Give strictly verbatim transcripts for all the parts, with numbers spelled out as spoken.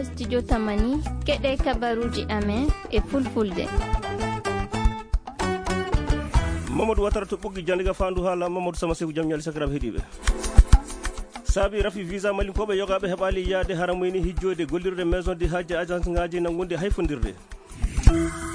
Studio Tamani, keɗe kabaruuji amen e fulfulde. Mamadou Watara to Ɓoggi Jandiga, faandu haala Mamadou Sama Seku, jam ñaali sakiraaɓe heɗiiɓe. Saabi rafi visa malinkooɓe yogaaɓe heɓaali yaade haramayni hijjoyde gollirde maison de hajji agence ngaaji nanngunde hayfondirde.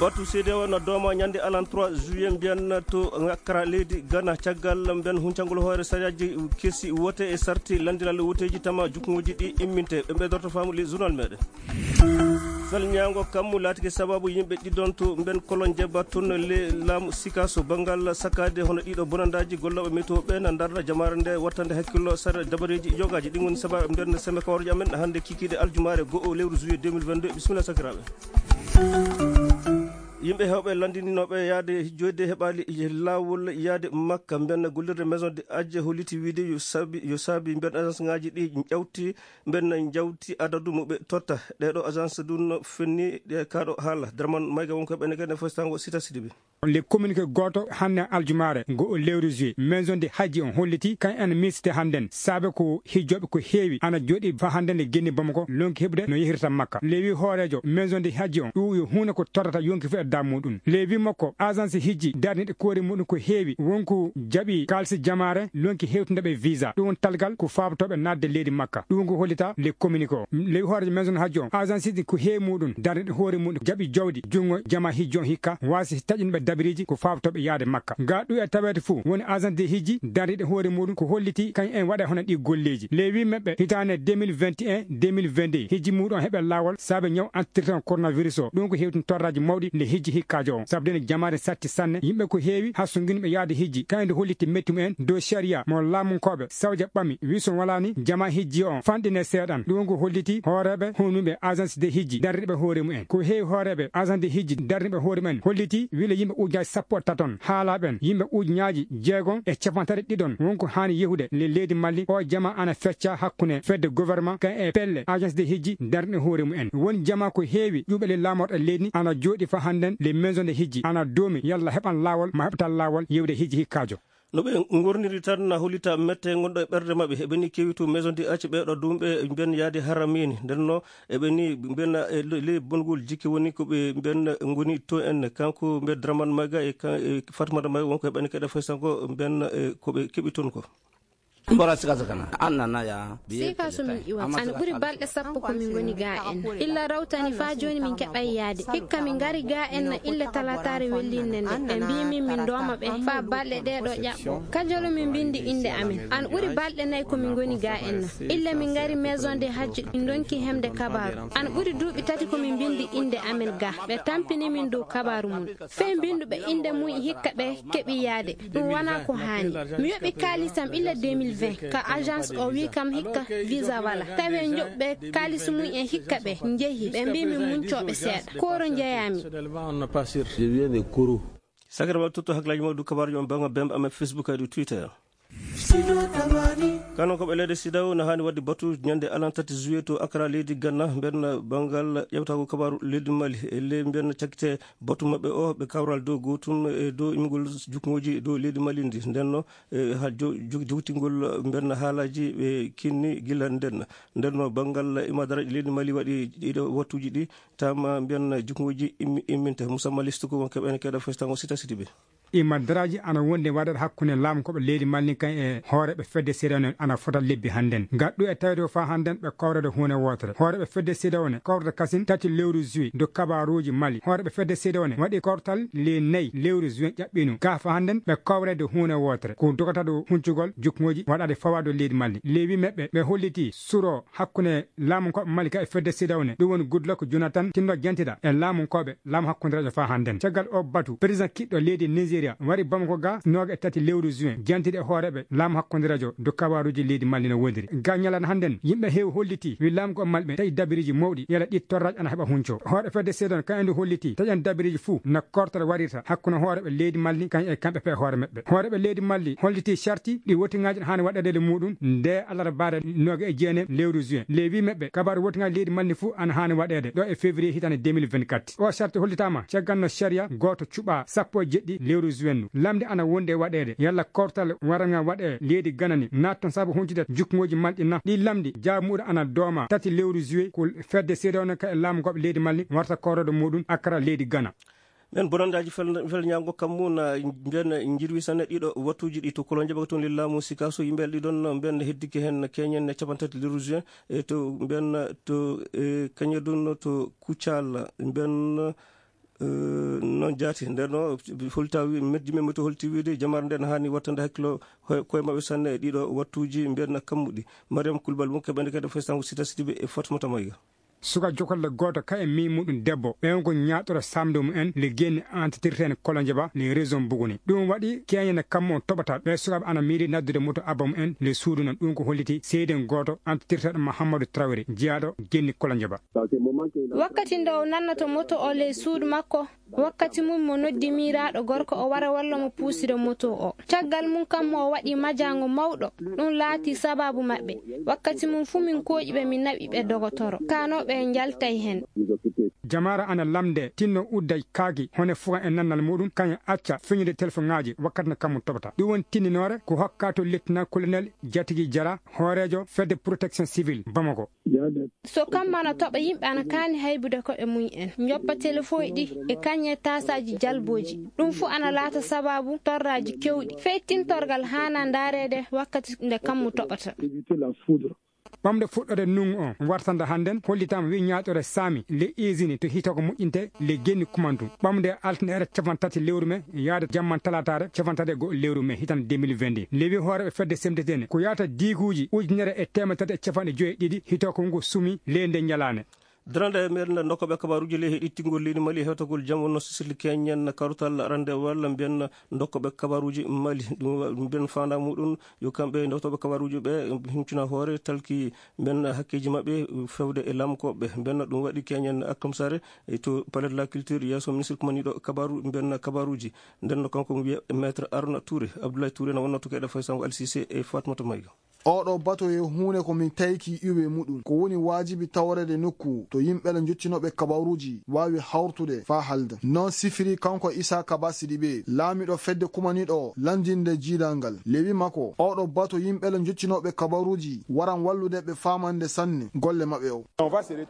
Batu C D A O no dooma ñande alan trois juillet mbiyan to ngakkara leydi Ghana caggal mbiyan huncangol hoore sariyaaji kesi wote e sarti landiral woteeji tama juknguuji ɗi imminte. Ɓe ɓeydorto faamu ley journal meɗen. Salñaango kammu laatike sababu yimɓe ɗiɗon to mben kolon jebba toon le laamu Sikaso banngal sakkaade hono ɗiɗo bonandaaji gollooɓe météo ɓe na ndarna jamaare nde wattande hakkillo sare dabareeji yogaaji. Ɗin woni sababu nden seme kawarji amen hannde kikiiɗe aljumaare go'o lewru juillet deux mille vingt-deux. Bisimilla sakiraaɓe. Yimɓe heewɓe lanndinooɓe yaade joyde heɓaali laawol yaade Makka, mben gollirde maison de hajji holliti wiide yo saabi, yo saabi mben agence ngaaji ɗi ƴawti, mben jawti adadu mo ɓe totta. Ɗeeɗo agence ɗum no fenni ɗe kaaɗo haala. Draman Mayga wonko ɓene kene fostango Sita Sidibe. Le communiqué gooto hannde aljumaare ngo o lewru juillet, maison de hajji on holliti kan en miisde hannden saabe ko hijjooɓe ko heewi ana jooɗi fa hannden e genni Bamako lonki heɓude no yehirta Makka. Le wi hooreejo maison de hajji on ɗum yo huunde ko tottata yonki fof e daamu muɗum. Le wi makko agence hijji darniiɗe koori muɗum ko heewi wonko jaɓi kaalisi jamaare lonki hewtinde ɓe visa. Ɗum woni talgal ko faabotooɓe naatde leydi Makka. Ɗum ko hollita le communiqué o. Le wi hooreejo maison de hajji on agence hijji ko heewi muɗum darniiɗe hoore muɗum jaɓi jawdi junngo jama hijji on hikka waasi taƴinɓe dabiriji ko faabotooɓe yaade Makka. Ga ɗum e taweede fof woni agence de hijji darniiɗe hoore muɗum ko holliti kañ en waɗa hono ɗi golleeji. Le wi maɓɓe hitaande deux mille vingt et un, deux mille vingt-deux hijji muɗum heɓe laawol saabe ñaw antirtan coronavirus o. Ɗum ko hewtin torraji mawɗi le hijji hikkaajo on. Sabu dene jamaare satti sanne, yimɓe ko heewi hassunginɓe yaade hijji. Kayndi holliti mettimu en dow sharia mo laamunkooɓe Sawja ɓami, wi so walaani jama hijji on fanɗine seeɗan. Ɗum ko holliti hooreeɓe hunuɓe agence de hijji darriɓe hoore mumen. Ko heewi hooreeɓe agence de hijji darriɓe hoore mumen holliti wila yimɓe ujunaaji sappo e taton. Haalaaɓe en yimɓe ujunaaji jeegom e capantati ɗiɗon wonko haani yehude le leydi Mali. O jama ana fecca hakkunde fedde gouvernement kan e pelle agence de hijji darriɗe hoore mumen. Won jama ko heewi ƴuɓe le laamorɗe leydi ni ana jooɗi fa hannden le maison de hijji ana doomi yalla heɓan laawol ma heɓatal laawol yewde hijji hikkaajo. No ɓe ngorniri tan na hollita mette ngonɗo e ɓernde maɓɓe. Eɓe ni kewi to maison de acci ɓeeɗo dumɓe mbiyan yaade haramini. Nden no eɓe ni mbiyan e le-, le bongol jikki woni ko ɓe mbiyan ngoni to en. Kanko mbiyan Draman Maga e kan-, e Fatmata Maga wonko heɓani keɗe fay sanko mbiyan e ko ɓe keɓi toon ko. Mbora sika sakana. An nana ya. Sika so min iwa. An ɓuri balɗe sappo ko min ngoni ga en. Illa rawtani fa joni min keɓay yaade. Hikka min ngari ga en na ille talataare wellinde nde. Ɓe mbi min min dooma ɓe fa balɗe ɗe ɗo ƴaɓɓo. Kajolo min bindi inde amen. An ɓuri balɗe nayi ko min ngoni ga en na. Illa min ngari maison de hajji min donki hemde kabaru. An ɓuri duuɓi tati ko min bindi inde amen ga. Ɓe tampini min dow kabaru mum. Fey binduɓe inde mum hikka ɓe keɓi yaade. Ɗum wonaa ko haani. Mi yoɓi kaalisam illa deux mille vingt ka agence o wi kam hikka visa wala. Tawi en joɓɓe kaalis mum en hikka ɓe njehi. Ɓe mbi min muncooɓe seeɗa. Koro njeyaami. Sakiraaɓe, tutto hakkilaaji mon dow kabaaruuji mon banngal bembe amen Facebook e dow Twitter. Kano ko ɓe leyɗe sidaw na haani waɗde batu ñande alan tati juillet to Accra leydi Ghana. Mbeɗa banngal ƴewtago kabaaru leydi Mali e ley mbeɗa cakkite batu maɓɓe o ɓe kawral dow gootum e dow imgol jukngooji dow leydi Mali ndi. Ndenno e ha jo-, jo-, jowtingol mbeɗa haalaaji ɓe kinni gila nden. Ndenno banngal imadaraji leydi Mali waɗi ɗiɗo wattuuji ɗi tama mbiyan jukngooji immi-, imminte. Musamman listu ko wonko ɓen keɗa festango sita siti ɓe. Imadaraaji ana wondi waɗeede hakkunde laamkooɓe leydi Mali kan e hooreeɓe fedde seeɗa on ana fota lebbi hannden. Gaɗɗu e tawde ko faa hannden ɓe kawrede huunde wootere. Hooreeɓe fedde seeɗa on kawrata kasin tati lewru juin dow kabaaruuji Mali. Hooreeɓe fedde seeɗa on waɗi kawtal le nayi lewru juin ƴaɓɓiino. Gaa faa hannden ɓe kawrede huunde wootere. Ko dogata ɗo huncugol jukngooji waɗaade fawaade leydi Mali. Lewi maɓɓe ɓe holliti suro hakkunde laamunkooɓe Mali ka e fedde seeɗa on. Ɗum woni Goodluck Jonathan tinno jantiɗa e laamunkooɓe laamu hakkundereejo faa hannden. Caggal o batu, président kiɗɗo leydi Nigeria wari Bamako ga nooga e tati lewru juin, jantiɗe e hooreeɓe laamu hakkundereejo dow kabaaruuji leydi Mali no wondiri. Ga ñalana hannden, yimɓe heewi holliti wi laamu ko Mali ɓe tawi dabiriji mawɗi, yala ɗi torraaji ana heɓa hunco. Hooreeɓe fedde seeɗa on kañum ndu holliti taƴan dabiriji fuu no kortore warirta hakkunde hooreeɓe leydi Mali kañum e kamɓe pe hoore maɓɓe. Hooreeɓe leydi Mali holliti sarti ɗi wottingaaji ɗi haani waɗeede e muɗum nde alarbaare nooga e jeenayi lewru juin. Lewi maɓɓe kabaaru wottingaaji leydi Mali fuu ana haani waɗeede ɗo e février hitaande deux mille vingt-quatre. O sarti hollitaama caggal no sariya gooto cuɓa sappo e jeɗɗi lewru Juin. Lamde ana wondi e waɗeede. Yalla kortal waranga waɗe leydi Gana ni natton sabu honcude jukkungooji malɗi na? Ɗi lamdi jaabi muɗum ana dooma tati lewru juillet ko fedde seedewono ka e laamu goɓe leydi Mali warta korode muɗum Accra leydi Gana. Ɓen bonanndaji fel-, felñaango kammu na mbiyen jirwi sanne ɗiɗo wattuuji ɗi to Kolonjaba toon lillaamu Sikaso. Yimɓe ɗiɗon mbiyen heddike heen keñen e capantati lewru juin, e to mbiyen to, e, Kañadun to Kucal mbiyen, e, noon jaati. Nden o holta wi-, meddi men to holti wiide jamar nden haani wattande hakkilo he-, koye maɓɓe sanne e ɗiɗo wattuuji mbiyen kammuɗi. Mariam Kulbal wonke ɓende kadi faysango Sita Sidibe e Fatmata Mayga. Suka jokolle gooto ka e mii muɗum debbo, ɓe on ko ñaaɗoro samde mum en le genni entretirten Kolonjaba le région Buguni. Ɗum waɗi keñene kammu on toɓata ɓe sukaɓe ana miiri naddude moto abba mum en le suudu non. Ɗum ko holliti seeden gooto entretirteɗo Mahamadou Traoré, jeyaaɗo genni Kolonjaba. Wakkati nde o nannata moto o ley suudu makko, wakkati mum mo noddi miiraaɗo gorko o wara walla mo puusira moto o. Caggal mum kam mo o waɗi majaango mawɗo, ɗum laati sabaabu maɓɓe. Wakkati mum fuu min kooƴi ɓe, min naɓi ɓe dogotoro. Kaanooɓe en njaltay heen. Jamaara ana lamnde, tinno udda kaaki, hone fuka e nannal muɗum, kañum acca feñude telefon ŋaaji wakkati no kammu toɓata. Ɗum woni tinninoore ko hokka to lettina colonel Jatigi Jara, hooreejo fedde protection civile Bamako. So kammu ana toɓa, yimɓe ana kaani haybude koɓe mum en, njoppa telefoŋ ɗi e kañe taasaaji jalbooji. Ɗum fuu ana laata sabaabu torraaji kewɗi. Fey tintorgal haana ndaareede wakkati nde kammu toɓata. Ɓamde fuɗɗoode nungu on wartande hannden hollitaama wi ñaaɗore saami le usine to hitoko moƴƴinte le genni kumantu. Ɓamde altine ere capanɗe tati lewru me yaade jamman talaataare capanɗe tati e go'o lewru me hitande deux mille vingt-deux. Lewi hooreeɓe fedde semtetene ko yaata diiguuji ujunere e teemedere tati e capanɗe joyi e ɗiɗi hitoko ngu sumi le nde ñalaane. Darande e meɗen ndokkooɓe kabaaruuji ley heɗitingol leydi Mali e hewtagol jam wonno sisirli keñen karutal arande walla mbiyen ndokkooɓe kabaaruuji Mali. Ɗum wa-, mbiyen faandaa muɗum yo kamɓe ndoktooɓe kabaaruuji ɓe huncuna hoore talki mbiyen hakkeeji maɓɓe fewde e lamkooɓe. Mbiyen ɗum waɗi keñen Alkamsare e to Palais de la Culture yeeso ministre kumaniiɗo kabaaru, mbiyen kabaaruuji. Nden no kanko wiya Maître Arona Touré, Abdoulaye Touré na wonno to keɗe Faysal Al Cissé e Fatmata Mayga. Oɗo bato yo huunde ko min tayki iwe muɗum. Ko woni waajibi tawreede nokku to yimɓe le njottinooɓe kabaaruuji waawi hawrtude faa haalda. Noon sifiri kanko Issa Kaba Sidibe, laamiɗo fedde kumaniiɗo lanndinde jiidal ngal. Lewi makko, oɗo bato yimɓe le njottinooɓe kabaaruuji waran wallude ɓe faamande sanne golle maɓɓe o.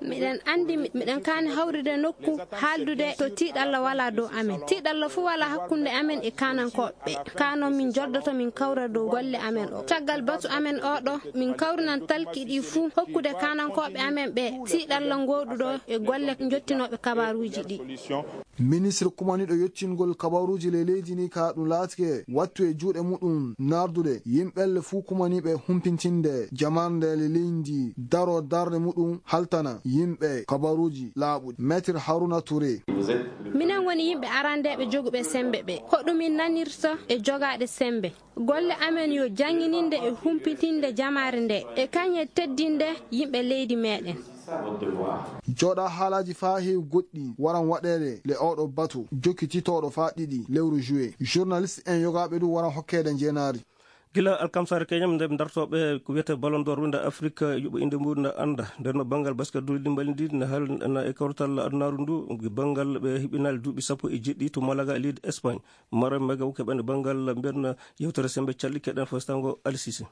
Miɗen anndi mi-, miɗen kaani hawrude nokku haaldude to tiiɗalla walaa dow amen. Tiiɗalla fuu walaa hakkunde amen e kaanankooɓe. Ɓe. Kaa noon min njoddoto min kawra dow golle amen o. Caggal batu amen oɗo, min kawrinan talki ɗi fuu hokkude kaanankooɓe amen ɓe tiiɗalla ngooduɗo e golle njottinooɓe kabaaruuji ɗi. Ministre kumaniiɗo yottingol kabaaruuji ley leydi ni ka ɗum laatike wattu e juuɗe muɗum nardude yimɓelle fuu kumaniiɓe humpintinde jamarnde le leydi daro darnde muɗum haltana yimɓe kabaaruuji laaɓuɗi. Maître Haruna Touré. Minen woni yimɓe arandeeɓe joguɓe semmbe ɓe. Hoɗum min nanirta e jogaaɗe semmbe? Golle amen yo janngininde e humpitinde jamaare nde, e kañe teddinde yimɓe leydi meɗen. Jooɗa haalaaji faa heewi goɗɗi waran waɗeede le oɗo batu, jokkititooɗo faa ɗiɗi lewru juillet. Journaliste en yogaaɓe ɗum waran hokkeede njeenaari. Gila alkamsare keñam nde dartooɓe ko wiyetee Ballon d'Or wonde Afrique yuɓo innde muɗum na annda. Nden no banngal basket du limbal ndi na hal-, na e kawtal adunaaru ndu, banngal ɓe hibinal duuɓi sappo e jeɗɗi to Malaga, leydi Espagne. Maro Magaw keɓen banngal mbiyen yewtere semmbe calɗi keɗen fostango Alisisi.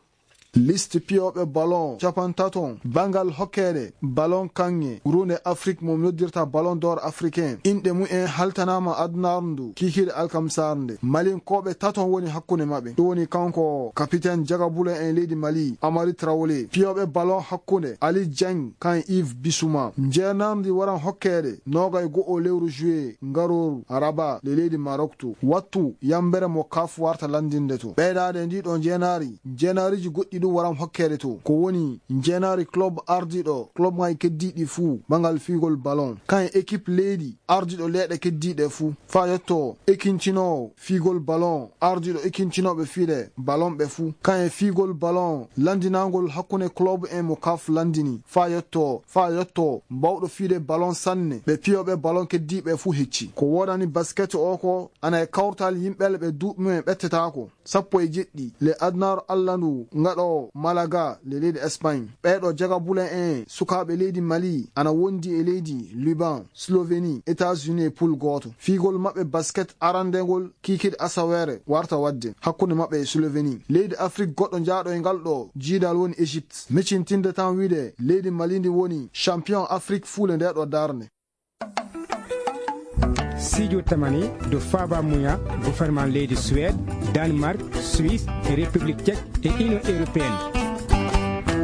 Liste piyooɓe ballon capantato banngal hokkeede ballon kaŋŋe runde Afrik mo noddirta Ballon d'Or africain. Inɗe mumen haltanaama adunaaru ndu kikiiɗe alkamsar nde. Malinkooɓe tato woni hakkunde maɓɓe. Ɗum woni kanko kapiten jagabulo en leydi Mali, Amari Traoré. Piyooɓe ballon hakkunde Ali Dieng kan Yves Bissouma. Njeenardi waran hokkeede noogay go'o lewru juillet ngarooru Rabat le leydi Maroc to. Wattu yambere mo kaf warta lanndinde to. Ɓeydaade ndi ɗo njeenaari, njeenaariji goɗɗi ɗum waran hokkeede to. Ko woni njeenaari club ardiiɗo club ŋaaji keddiiɗi fuu ɓanngal fiigol ballon. Kan équipe leydi ardiiɗo leyɗe keddiiɗe fuu. Faa yotto ekincinoowo fiigol ballon, ardiiɗo ekincinooɓe fiide ballon ɓe fuu. Kan e fiigol ballon lanndinaangol hakkunde club en mo kaf lanndini. Faa yotto, faa yotto bawɗo fiide ballon sanne. Ɓe piyooɓe ballon keddiiɓe fuu hecci. Ko woodani basket o ko ana e kawtal yimɓe ɓe duuɓi mumen ɓettetaako. Sappo e jeɗɗi le adunaaru allandu ngaɗoowo Malaga le leydi Espagne. Ɓeeɗo jagabulen en sukaaɓe leydi Mali ana wondi e leydi Liban, Slovénie, États-Unis e poule gooto. Fiigol maɓɓe basket arandegol kiikiiɗe asaweere warta waɗde hakkunde maɓɓe e Slovénie. Leydi Afrik goɗɗo jaaɗo e ngal ɗo jiidal woni Égypte. Micintinde tan wiide leydi Mali ndi woni champion Afrik fuule nde ɗo darnde. Sijo tamani do faba muya gouvernement leydi Suède, Danemark, Suisse e République Tchèque e Union Européenne.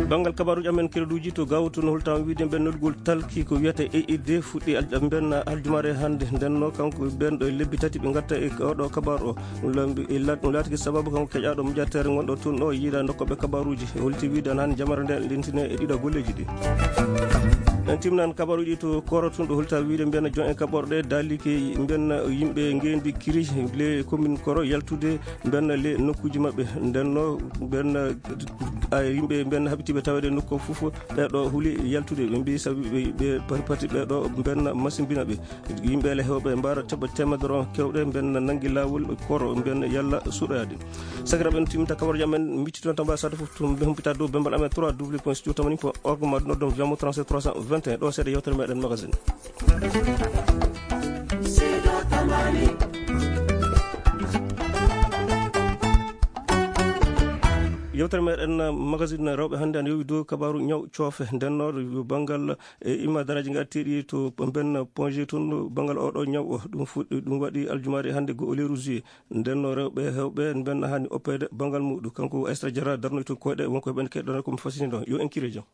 Banngal kabaruuji amen kereduuji to gawto no holtaama wiide mben nodugol talki ko wiyata E I D fuɗɗi al-, mben aljumaare hannde. Nden no kanko ɓen ɗo e lebbi tati ɓe ngatta e oɗo kabaru o. Ɗum lambi-, e lat-, ɗum laatiki sababu kanko keƴaaɗo moƴatere ngonɗo toon ɗo yiida nokkoɓe kabaruuji. E holti wiide an hannde jamare nde lentine e ɗiɗo golleeji ɗi. En timnan kabaruuji to Koro tun ɗo holta wiide mbiyen jon e kaɓorɗe daalike mbiyen yimɓe ngeendi kiri le commune Koro yaltude mbiyen le nokkuuji maɓɓe. Nden no mbiyen, a, yimɓe mbiyen haɓitiiɓe taweede nokku fof ɓeeɗo huli yaltude. Ɓe mbi sabi ɓe, ɓe pati pati ɓeeɗo mbiyen masimbina ɓe. Yimɓe le hewɓe mbaara teɓɓe teemedere on kewɗe mbiyen nangi laawol Koro mbiyen yalla suɗoyaade. Sakiraaɓe, en timminta kabaruuji amen, micciton tamba sata fof to mbe humpita dow bembal amen trois w point studio tamani point org ma noddon viyamo trente-sept trois cent vingt et un ɗo seeɗa yewtere meɗen magazine. Yewtere meɗen magazine rewɓe hannde ana yowi dow kabaru ñaw coofe. Nden no banngal e imma daraaji ngartiiɗi to mben Ponge tun banngal oɗo ñaw o. Ɗum fuɗɗi, ɗum waɗi aljumaare hannde go o lewru juillet. Nden no rewɓe hewɓe mben hani oppeede banngal muɗum. Kanko Aysata Jara darnoy to koyɗe wonko heɓen keɗɗana ko mi fasini ɗon. Yo en kire jam.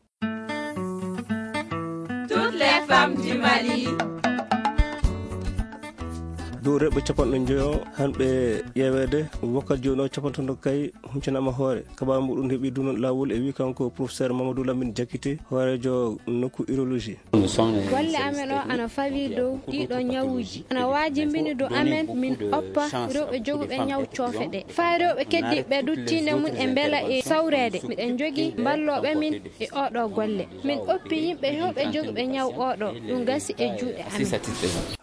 Toutes les femmes du Mali. Dow rewɓe capanɗe njoyo hanɓe ƴeeweede wakkati jooni o capanɗe tati kay huncanaama hoore. Kabaru muɗum heɓi ɗum laawol e wi kanko professeur Mamadou Lamine Diakité, hooreejo nokku urologie. Golle amen o ana fawi dow ɗiɗo ñawuuji. Ana waajimbini dow amen min oppa rewɓe joguɓe ñaw coofe ɗe. Faa rewɓe keddiiɓe duttinde mum e mbela e sawreede. Miɗen njogii mballooɓe min e oɗo golle. Min oppi yimɓe hewɓe joguɓe ñaw oɗo. Ɗum gasi e juuɗe amen.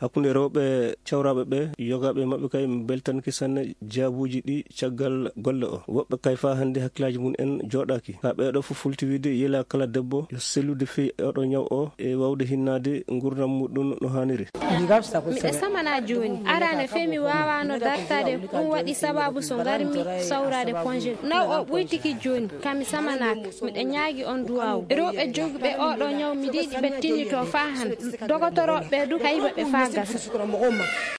Hakkunde rewɓe cawraaɓe ɓe, yogaaɓe maɓɓe kay mbeltanki sanne jaabuuji ɗi caggal golle o. Woɓɓe kay faa hannde hakkillaaji mum en jooɗaaki. Haa ɓeeɗo fof fulti wiide yela kala debbo yo sellude fii oɗo ñaw o e waawde hinnaade nguurndam muɗum no haaniri. Miɗo samana jooni. Arane fee mi waawaano dartaade, ɗum waɗi sababu so ngarmi sawraade Ponge. Naw o ɓuytiki jooni, kami samanaaka. Miɗo ñaagi on duwaaw. Rewɓe jogiiɓe oɗo ñaw mi yiɗi ɓe tinnito faa han. Dogotorooɓe du kayba ɓe faa gasa.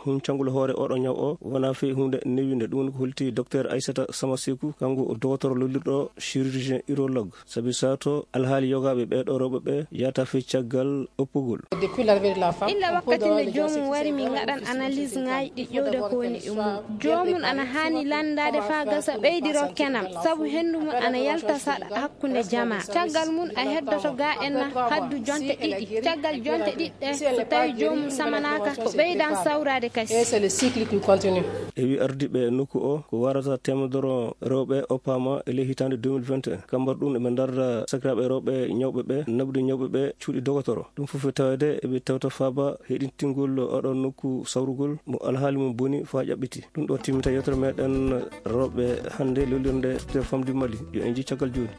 Huncangol hoore oɗo ñaw o wonaa fii huunde newinde. Ɗum ko holti Docteur Aissata Samasekou, kanko o dogotoro lollirɗo chirurgien urologue. Sabi sato alhaali yogaaɓe ɓeeɗo rewɓe ɓe yahata fii caggal oppugol. Illa wakkati nde joomum wari min ngaɗan analyse ŋaaji ɗi ƴewde ko woni e mum. Joomum ana haani lanndaade faa gasa ɓeydiro kenam, sabu henndu mum ana yalta saɗa hakkunde jamaa. Caggal mum a heddoto gaa en na haddu jonte ɗiɗi. Caggal jonte ɗiɗi ɗe, so tawi joomum samanaaka, ko ɓeydan sawraade kasi. E wi ardiiɓe nokku o, ko warata teemedere rewɓe oppaama e ley hitaande deux mille vingt et un. Kambar ɗum eɓe ndarda sakiraaɓe rewɓe ñawɓe ɓe, naɓude ñawɓe ɓe cuuɗi dogotoro. Ɗum fof e taweede eɓe tewta faaba heɗintingol oɗo nokku sawrugol mo alhaali mum boni faa ƴaɓɓiti. Ɗum ɗo timmita yewtere meɗen rewɓe hannde lollirnde Toutes les femmes du Mali. Yo en njii caggal jooni.